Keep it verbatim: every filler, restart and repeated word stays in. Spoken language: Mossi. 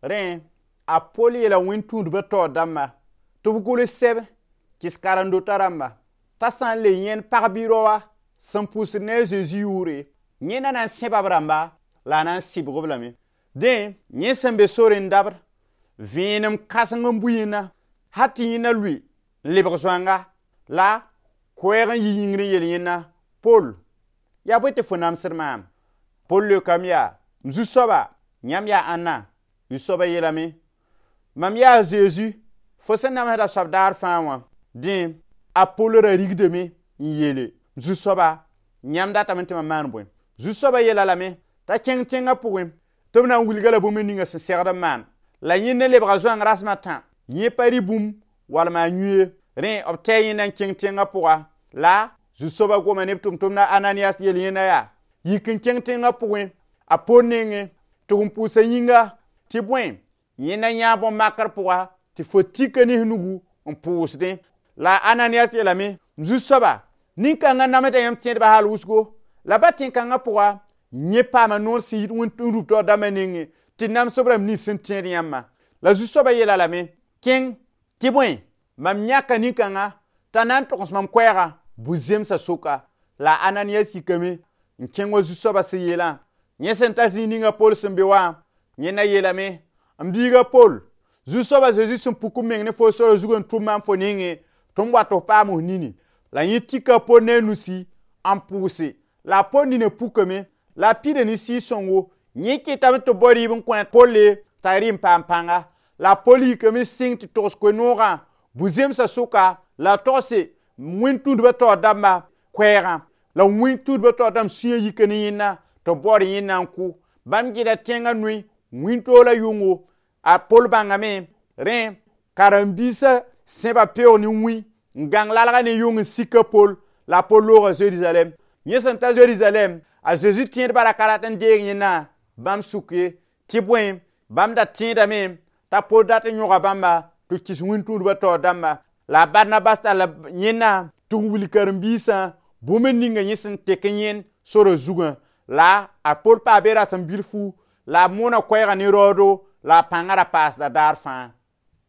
Rẽ a Pol yeela wẽn-tũudbã taoor dãmba tɩ b gʋls sɛb kɩs karen-dotã rãmba t'a sã n le yẽnd pag bɩ raoa sẽn pʋsd ne a Zezi yʋʋre, yẽnda na n sẽba b rãmba la a na n sɩbg-b lame. Dẽ, yẽ sẽn be sore n dabd, vẽenem kãseng n bui yẽnda hal tɩ yẽnda lʋɩ n lebg zoanga la koɛɛg n yi yĩngr n yel yẽnda: Pol, yaa bõe tɩ fo namsd maam? Pol leokame yaa: m zu-soaba, yãmb yaa ãnna? Zu-soabã yeelame: mam yaa a Zezi, fo sẽn namsda soab daar fãa wã. Dẽ, a Pol ra rigdame n yeele: zu-soaba, yãmb datame tɩ mam maan bõe? Zu-soabã yeela lame t'a kẽng tẽngã pʋgẽ tɩ b na n wilga la bũmb ninga sẽn segd n maan. La yẽnd lebga zoang rasem a tã, yẽ pa rɩ bũmb walma a yũ ye. Rẽ b tɛɛ yẽnda n kẽng tẽngã pʋga la zu-soabã goma ne b tʋm-tʋmda Ananias yel yẽnda yaa: yik n kẽng tẽngã pʋgẽ a Pol nengẽ tɩ n pʋʋsa yĩnga tɩ bõe yẽnda yãa bõn-makr pʋga tɩ fo tika ne nugu n pʋʋsdẽ. La Ananias yeelame: zu-soaba, nin-kãngã namsda yãmb tẽedbã hal wʋsgo, la ba tẽn-kãngã pʋga yẽ paama noor sẽn yit wẽn-rub taoor dãmbã nengẽ tɩ namsb rãmb nins sẽn tẽed yãmbã. La zu-soabã yeela lame: kẽng tɩ bõe mam yãka nin-kãngã t'a na n togs mam koɛɛgã bu-zemsã sʋka. La Ananias yikame n kẽng wa zu-soabã sẽn yeelã. Yẽ sẽn ta zĩig ninga Pol sẽn be wã, yẽnda yeelame: m biiga Pol, zu-soabã Zezi sẽn puk m meng ne fo sora zug n tʋm maam fo nengẽ tɩ m wat f paam f nini. La yẽ tika Pol ne a nusi n pʋʋse la a Pol nina pukame la a pida ne sɩɩg-sõngo. Yẽ kɩtame tɩ b bao rɩɩb n kõ a Polle t'a rɩ n paam pãnga. La a Pol yikame sɩng tɩ togs koe-noogã bu-zemsã sʋka la a togse wẽn-tũudbã taoor dãmba koɛɛgã. La wẽn-tũudbã taoor dãmb sũyã yika ne yẽnda tɩ b baood yẽnda n kʋ. Bãmb gɩda tẽngã noe wĩntoog la yʋngo. A Pol bãngame rẽ karen-biisã sẽba peoog ne wĩ n gãng lalga ne yʋng n sik a Pol la a Pol looga Zerizalɛm. Yẽ sẽn ta Zerizalɛm, a Zezi tẽedbã ra ka rat n deeg yẽnda bãmb sʋk ye, tɩ bõe bãmb da tẽedame t'a Pol dat n yõga bãmba tɩ kɩs wẽn-tũudbã taoor dãmba. La a Barnabas talla yẽnda tɩ n wilg karen-biisã bũmb ninga yẽ sẽn tek n yẽnd sora zugã. La a Pol paa be rasem bilfu la a moona koɛɛgã ne raoodo la a pãngã ra paasda daar fãa.